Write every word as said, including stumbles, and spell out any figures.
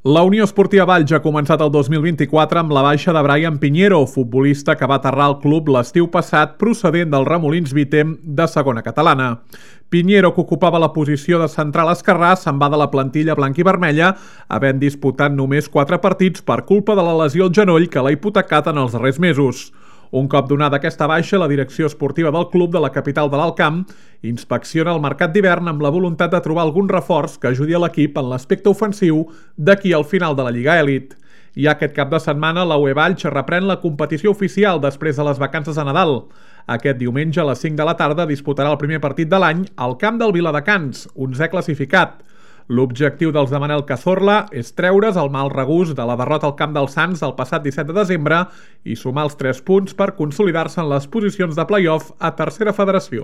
La Unió Esportiva Valls ha començat el dos mil vint-i-quatre amb la baixa de Brian Piñero, futbolista que va aterrar al club l'estiu passat procedent del Remolins Vitem de segona catalana. Piñero, que ocupava la posició de central esquerrà, se'n va de la plantilla blanc-i-vermella, havent disputat només quatre partits per culpa de la lesió al genoll que l'ha hipotecat en els darrers mesos. Un cop donada aquesta baixa, la direcció esportiva del club de la capital de l'Alt Camp inspecciona el mercat d'hivern amb la voluntat de trobar algun reforç que ajudi a l'equip en l'aspecte ofensiu d'aquí al final de la Lliga Elit. I aquest cap de setmana la U E Valls reprèn la competició oficial després de les vacances de Nadal. Aquest diumenge a les cinc de la tarda disputarà el primer partit de l'any al camp del Viladecans, onzè classificat. L'objectiu dels de Manel Cazorla és treure's el mal regust de la derrota al camp dels Sants el passat disset de desembre i sumar els tres punts per consolidar-se en les posicions de play-off a tercera federació.